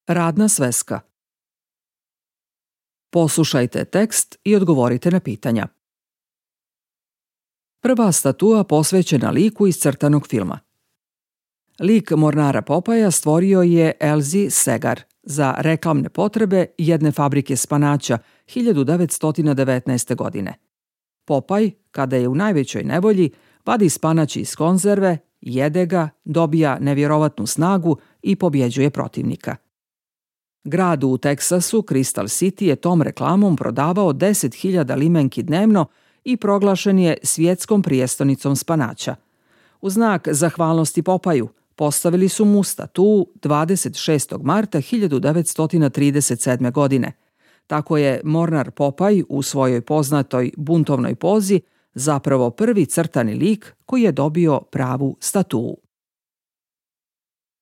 Radna sveska. Poslušajte tekst i odgovorite na pitanja. Prva statua posvećena liku iz crtanog filma. Lik mornara Popaja stvorio je Elsie Segar za reklamne potrebe jedne fabrike spanaća 1919. godine. Popaj, kada je u najvećoj nevolji, vadi spanać iz konzerve, jede ga, dobija nevjerovatnu snagu i pobjeđuje protivnika. Grad u Teksasu, Crystal City, je tom reklamom prodavao 10.000 limenki dnevno i proglašen je svjetskom prijestonicom spanaća. U znak zahvalnosti Popaju postavili su mu statu 26. marta 1937. godine. Tako je mornar Popaj u svojoj poznatoj buntovnoj pozi zapravo prvi crtani lik koji je dobio pravu statu.